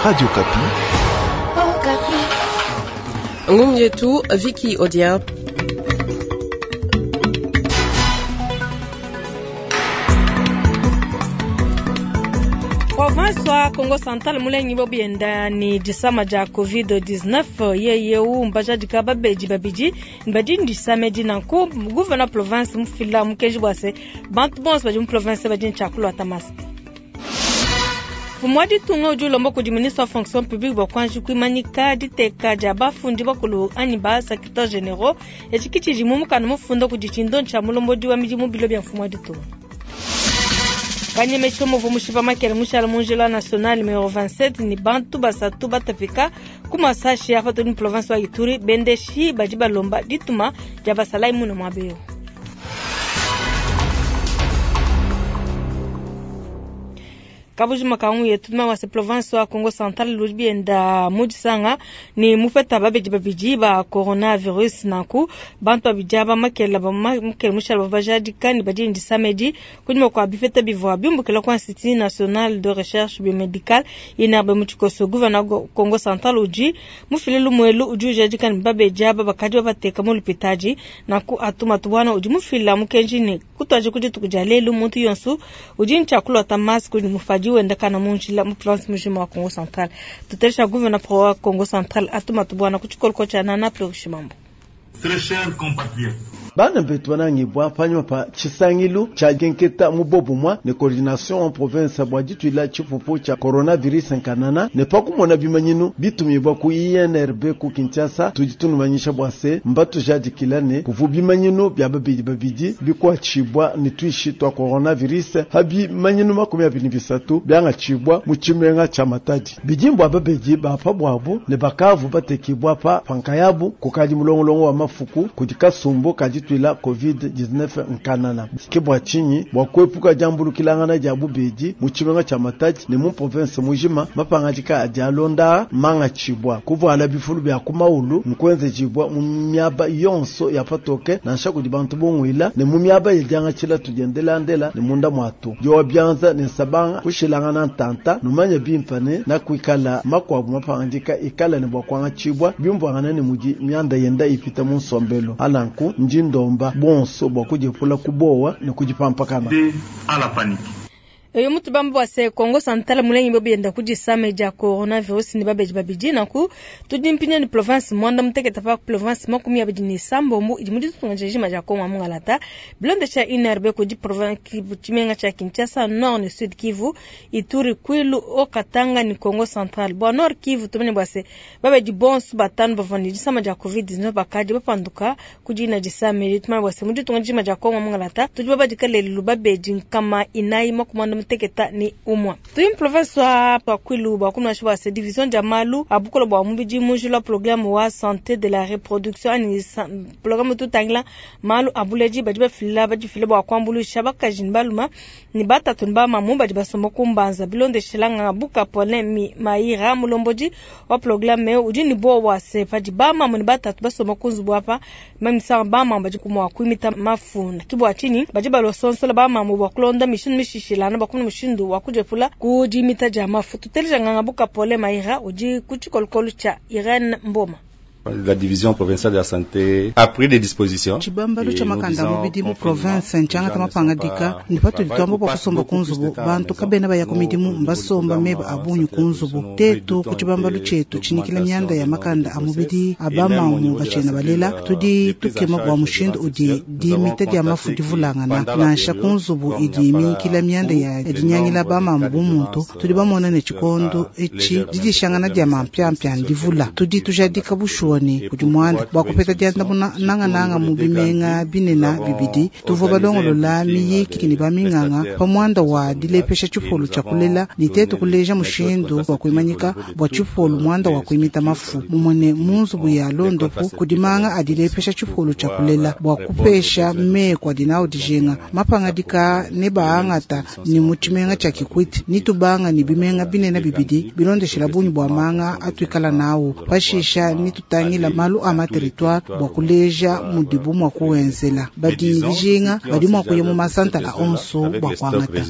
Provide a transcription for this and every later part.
Radio Okapi. Ngumu yetu Vicky Odia. Province wa Kongo Central mulengi bobienda ni disama dia COVID-19 yeyeu mbajadika babedi babidi badi ndisame dinanku gouverneur province mufila mukenji bua se bantu bonso badi mu province badi ne tshia masque. Mfumu wa ditunga udi ulomba kudi ministre wa fonction publique bua kuanji kuimanyika diteka dia bafundi bakulu anyi ba secrétaire généraux etshi ke tshidi mu mukanda mufunda kudi tshindo tshia mulombodi wa midimu bilo bia mfumu wa ditunga. Kanyemesho muvu mushipa makele mushala mu njila national numero 27 ni bantu basatu batapika ku masashi apa tuli mu province wa Ituri bendeshi badi balomba dituma dia basalayi muna muaba eu. Kabujima kangu yetu ma wase province wa Kongo Central ludi bienda mudisanga ni mufeta babedi babidi ba coronavirus nanku bantu babidi aba makela ba makela mushala bajadika ni badi ndisamedi kunyima kwa bifeta bivua biumbukila kwa Institut National de Recherche Biomedicale INRB mu tshikoso gouverneur Kongo Central udi mufile lumuelu udi ujadika ni babedi aba bakadi babateka mu lupitadi nanku atuma tubwana udi mufila mukenji ni kutuaje ku dituku dia lelu muntu yonso udi ntshiakulota masque udi mufadi wenda kana mu njila mu province mujima wa Kongo Central. Tutelesha gouverneur pro wa Kongo Central atuma tubwana ku tshikoloko tshia Nana Plurishimambo. Très chers compatriotes, bana betu banangibwa panyuma pa tshisangilu tshia kenketa mu bobumwa ne coordination en province bua dituila tshipupu tshia coronavirus nkanana ne pa kumona bimanyinu bitumibwa ku INRB ku Kinshasa tudi tunumanyisha bua se mbatujadikila ne kuvu bimanyinu bia babidi babidi bikuatshibwa ne tuishi twa coronavirus ha bimanyinu 23 byangatshibwa mu tshimenga tshia Matadi. Bidimbwa babedi bapa bwabu ne bakavu batekibwa pa pankayabu kukadi mulongolongo wa mafuku kudi kasumbu kadituila COVID-19 nkanana. Ke bua tshinyi bua kuepuka diambulukilangana dia bubedi mu tshimenga tshia Matadi ne mu province mujima mapangadika adi alonda mangatshibwa kuvuala bifulu bia ku maulu nkuenzejibwa mu miaba yonso ya patoke nansha kudi bantu bongwila ne mu miaba yediangatshila tudiendelandela ne munda muatu diowa bianza ne nsabanga kushilangana ntanta numanye bimpa ne nakuikala makuabu mapangadika ikala ne bua kuangatshibwa biumvuangana ne mudi mianda yenda ipita mu nsombelo alanku ndi ndomba bonso bua kudiepula kubowa ne kudipampakana. À la panique. Eyo mutu bamba bua se Kongo Central mulengi bobienda kudisame dia coronavirus ni babedi babidi nanku tudi mpinya ni province mwanda muteketa pa province 27 idi mu ditunga dia dia Kongo mungalata bilondesha INRB kudi province tshimenga tshia Kinshasa Nord ne Sud Kivu Ituri Kwilu Haut-Katanga ni Kongo Central bua Nord Kivu tumene bua se babedi bonso batanu bavua ne disama dia COVID-19 bakadi bapanduka kudi disame tumene bua se mu ditunga dia Kongo mungalata tudi babadika lelu babedi nkama inayi makumanda muteketa ni umwa. Tuyi province wa Kwilu bua kumna bua se division dia malu abukola bua mubidi mujula programme wa santé de la reproduction ani programme tutangila malu abuleji badi bafila badi fila bua kuambulisha bakaji ni baluma ni batatu ni bamamu badi basomba kumbanza bilondeshilanga buka Paulin mi maira mulombodi wa programme udi ni bo wa se padi bamamu ni batatu basomba kunzubu apa mamisa bamamu badi kumwa kuimita mafuna kibwa chini badi balosonsola bamamu bua kulonda mishindu mishishilana bua kumuna mushindu wa kujepula kudimita dia mafu. Tuteleja nganga buka Paulin Maira udi ku tshikolokolo tshia Irene Mboma. La division provinciale de la santé a pris des dispositions. Tshibambalu tshia makanda mubidi mu province ntshiangata mapangadika ne patudi tuamba bua kusomba ku nzubu bantu kabena baya ku midimu mbasomba meba a bungi ku nzubu tetu ku tshibambalu tshietu tshinikila mianda ya makanda a mubidi a bamamu batshena balela tudi tukema bua mushindu udi dimita dia mafu divulangana nansha ku nzubu idi minkila mianda ya dinyangila bamamu bu muntu tudi bamona ne tshikondo etshi didishangana dia mampiampia ndivula tudi tujadika bushuwa ne kudi muanda bua kupeta diandamuna nangananga mu bimenga binena bibidi tuvua balongolola miyiki ne baminganga pa muanda wa dilepesha tshipolu tshia kulela ne tetu kuleja mushindu wa kuimanyika bua tshipolu muanda wa kuimita mafu mumone mu nzubu ya londopu kudi manga adilepesha tshipolu tshia kulela bua kupesha meku adi nawu dijinga mapangadika ne baangata ni mu tshimenga tshia Kikwit ni tubanga ni bimenga binena bibidi bilondeshela bungi bua manga atuikala nawu pashisha ni tutangila malu a ma territoire bua kuleja mudibu mua kuwenzela badi dijinga badi mua kuya mu masantala onso bua kuangata.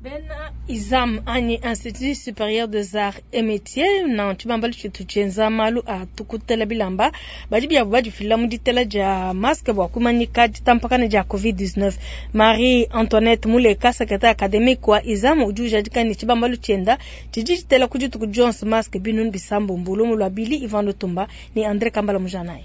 Bena ISAM anyi Institut Supérieur des Arts et Métiers na tshibambalu tshitu tshienza malu a tukutela bilamba badi biabo badifila mu ditela dia masque bua kumanyika ditampakana dia COVID-19. Marie Antoinette Muleka, secrétaire académique wa ISAM, udi ujadika ne tshibambalu tshienda tshidi tshitela ku dituku dionso masque binunu bisambombo. Lumu lua Billy Ivan Lutumba ne André Kambala Mujanayi.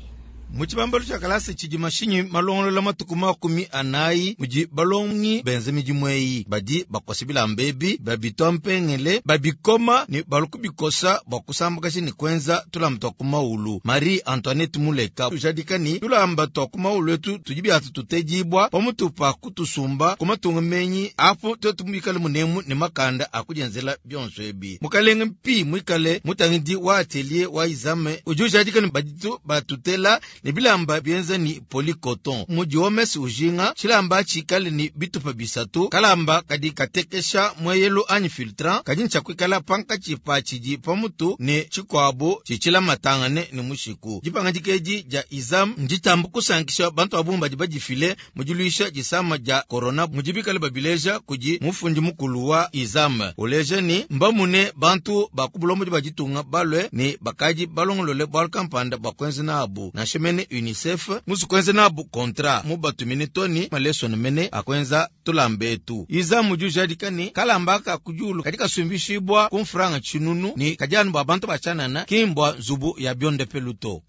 Mu tshibambalu tshia kalasa tshidi mashinyi malongolola matuku 40 mudi balongi benza midimu eyi badi bakosa bilamba ebi babitwa mpengele babikoma ne baluku bikosa bua kusambakaja ne kuenza tulamba tua ku maulu. Marie Antoinette Muleka ujadika ni tulamba tua ku maulu etu tudi biatu tutedibwa pamutu pa kutusumba ku matunga menyi apo twetu muikale munemu ne makanda akudienzela bionso ebi. Mukalenge mpi muikale mutangidi wa atelier wa ISAM udi ujadika ni baditu batutela ne bilamba bienza ni polycoton. Mudi omes ujinga tshilamba tshikale ni bitupa bisatu kalamba kadi katekesha mweyelu anyi filtran kadi ntshakuikala pankatshi pa tshidi pamutu ne tshikuabu tshitshilamatangane ne mushiku. Dipanga dikedi dia ISAM nditambu kusankisha bantu abumba badi badifile mudiluisha disama dia corona mudi bikale babileja kudi mufundi mukulu wa ISAM uleja ni mbamune bantu bakubulombo baditunga balwe ni bakadi balongolole bwal kampanda bakwenze nabu nansha mene UNICEF musu kwenza nabu kontra mubatumine toni maleso mene akwenza tulambetu. ISAM mudi ujadika ni kalamba ka kujulu katika sumbishibwa kumfranga chinunu ni kajanu ba bantu bachanana kimbwa nzubu ya bionde peluto.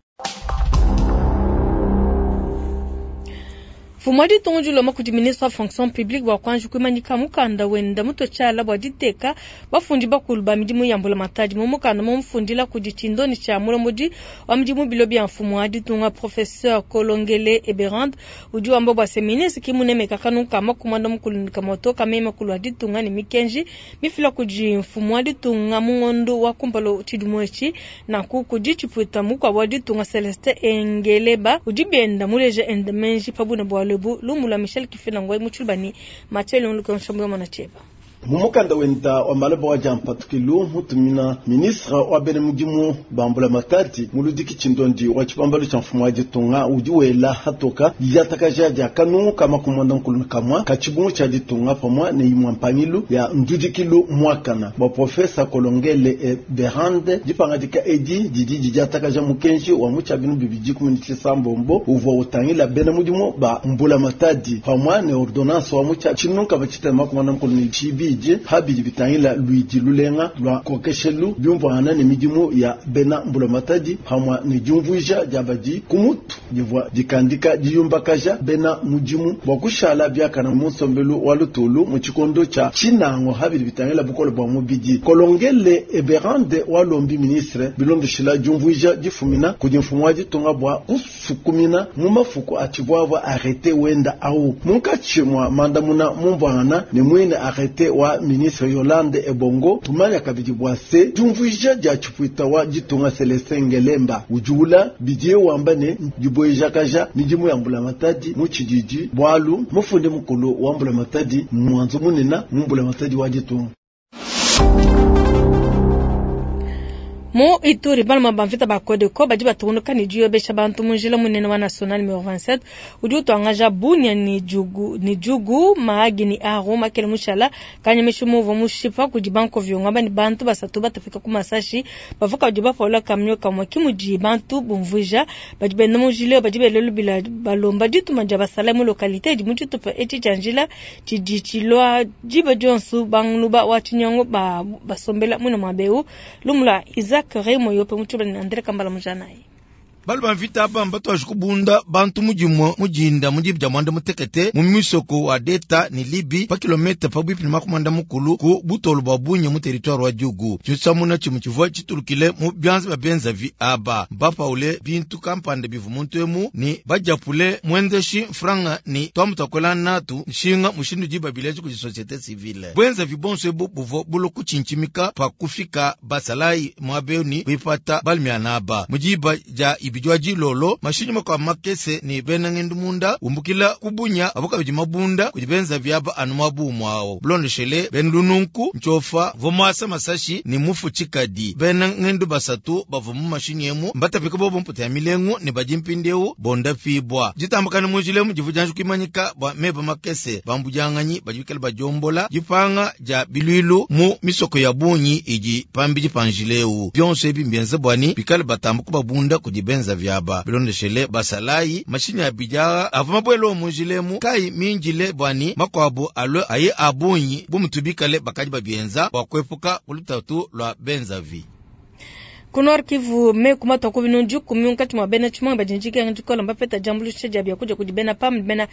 Fumwadi tongu loma kudi ministre wa fonction publique bua kuanji kuimanyika mukanda wenda muto tshiala bua diteka bafundi bakulu ba midimu ya mbula matadi mu mukanda mu mufundila kudi tshindoni tshia mulombodi wa midimu bilo bia mfumu wa ditunga professeur Kolongele Eberande udi wamba bua se ministre ki munemeka kanuka makumanda mukulu kamoto kamema kulu wa ditunga ne mikenji mifila kudi mfumu wa ditunga mu ngondo wa kumpala tshidimu etshi nanku kudi tshipuita mukua wa ditunga Celestin Engeleba udi bienda muleja enda menji pabuna bua lebu lumula Michel Kifela Ngoy Mutshilubani Mathieu Luka Nshambu Mwana Cheba. Mumukanda wenda wa malaba wa jampatukilu mutumina ministre wa bene mudimu bambula matadi muludiki tshindondi wa tshibambalu tshia mfumu wa ditunga udi wela hatoka diatakaja dia kanu kama kumwanda nkulu kamwa katshibungu tshia ditunga pamwa ne imwa mpangilu ya ndudikilu mwakana bwa profesa Kolongele e Berande dipangadika edi didi didiatakaja mukenji wa mutshabinu bibidi kumini sambombo uvua utangila bene mudimu ba mbula matadi pamwa ne ordonnance wa mutshia tshinunka batshitema kumwanda nkulu ne tshibi habidi bitangila luidi lulenga lwa kokeshelu byumvana ne midimu ya bena mbula matadi hamwa ne diumvuija dia badi kumutu divua dikandika diyumbakaja bena mudimu bua kushala biakana mu nsombelu wa lutulu mu tshikondo tshia tshinango habidi bitangila bukole bua mubidi. Kolongele Eberande wa lombi ministre bilondoshila diumvuija difumina kudi mfumu wa ditunga bua kusukumina mu mafuku atshivua arrêté wenda au munkatshi mwa mandamuna mumvuangana ne mwine arrêté wa ministre Yolande Ebongo tumanya kabidi bua se diumvuija dia tshipuita wa ditunga Celestin Ngelemba udiula bidie wamba ne dibuejakaja midimu ya mbula matadi mu tshididi bwalu mufundi mukulu wa mbula matadi mwanzo munena mu mbula matadi wa ditunga. Mu Ituri baluma bamvita ba Kodeko badi batunuka ni diyobesha bantu mu njila munene wa national numéro 27 udi utuangaja Bunia ni Djugu Mahagi ni Aru makele mushala kanyamesha muvo mushipa kudi banko vyonga bani bantu basatu batafika ku masashi bavuka badi bapaula kamyo kamwe kimudi bantu bumvuija badi benda mu njila badi belelu bila balomba dituma dia basala mu localité di mutitupa eti tshia njila tshidi tshilwa diba dionso bangluba wa tshinyango ba basombela muna mabeu lumula Isaac Remo yope mutshibani André Kambala Mujanayi. Balu bamvita aba mbatu ashikubunda bantu mujimwe mujinda mujibu ja mwanda mutekete mu misoko wa deta ni Libi pa kilomita pa bwipi ni makumanda mukulu ku butolo bwa Bunya mu territoire wa Djugu. Tshisamuna tshimu tshivua tshitulukile mu byanza bya benzavi aba mbapaule bintu kampanda bivu muntu emu ni bajapule mwenzeshi franga ni twamutakola natu nshinga mushindu jiba bileji ku société civile. Bwenzavi bonso ebu buvo bulo kuchinchimika pa kufika basalai mwabeni kuipata balmianaba mujiba ja ibidi wa dilolo, mashinyi makuabu makese ne bena ngendu munda umbukila ku Bunia avo kabidi mabunda kudi benza viaba anu muabu muawo. Bilondeshele bena lununku ntshiofa uvua muasa masashi ne mufu tshikadi. Bena ngendu basatu bavua mu mashinyi emu mbatapike bobo mputa ya milengu ne badi mpindieu bondapibua. Ditambakana mu njila emu divua dianji kuimanyika bua meba makese. Bambudianganyi badi bikale badiombola dipanga dia biluilu mu misoko ya bungi idi pambidi pa njila eu. Bionso ebi mbienze bua ne bikale batamba kubabunda kudi benza viaba. Bilondeshele basalayi, mashinyi abidi aa avua mabuele mu njila emu kayi mindile bua ne makuabu alue aye a bungi bu mutu bikale bakadi babienza bua kuepuka ku lutatu lua benzavi. Ku Nord Kivu, meku matua ku binunu dikumi munkatshi mua bena tshimuangi badi ne dikenga dikole mbapeta diambuluisha dia biakudia kudi bena PAM ne bena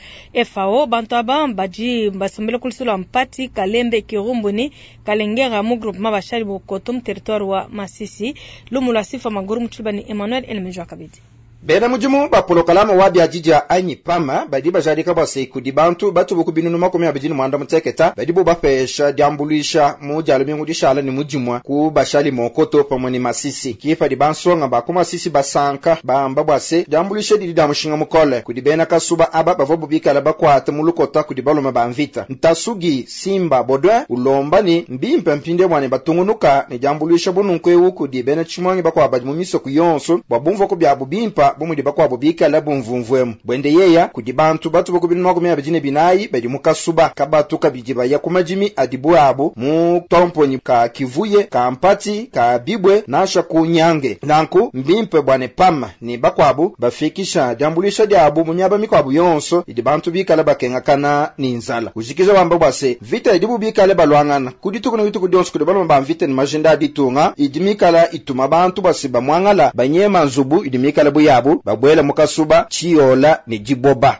FAO. Bantu aba badi basombele ku luseke lua Mpati, Kalembe, Kirumbu ne Kalengera mu groupement Bashali Bokoto mu territoire wa Masisi. Lumu lua Sifa Maguru mu Tshiluba ne Emmanuel Elemejwa kabidi. Bena mudimu ba polokalama wa biadidia anyi PAM badi bajadika bua se kudi bantu batubu ku binunu 26 badibo bapesha diambuluisha mu dia lumingu dishala ne mudimua ku Bashali Mokoto pamue ne Masisi. Ke padi bansonga ba ku Masisi basanka bamba bua se diambuluisha didi dia mushinga mukole kudi bena kasuba aba bavua bikala bakuate mu lukota kudi balume ba mvita. Ntasugi Simba Baudouin ulomba ne mbimpe mpinde bua ne batungunuka ne diambuluisha bununku eu kudi bena tshimuangi bakuabu badi mu misoko yonso bua bumvua ku biabu bimpa bu mudi bakuabu bikala bumvumvuemu. Buende yeya kudi bantu batubu ku binunu 24 badi mu kasuba kabatu kabidi baya ku madimi adibu abu mu tomponyi ka Kivuye, ka Mpati, ka Bibwe nansha ku Nyange. Nanku mbimpe bua ne PAM ne bakuabu bafikisha diambuluisha diabu mu miaba mikuabu yonso idi bantu bikala bakengakana ne nzala. Ujikija wamba bua se vita idibu bikale baluangana ku dituku ne dituku dionso kudi balume ba mvita ne majinda a ditunga idi mikala ituma bantu bua se bamuangala banyema nzubu idi mikala buyabu babuela mu kasuba tshiola ne diboba.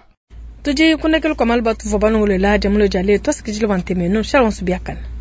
Tudi kunekelu kwa malu batuvua balongolola dia mulo dia lelu. Tuasikidile bua ntemenu. Shalom subiakana.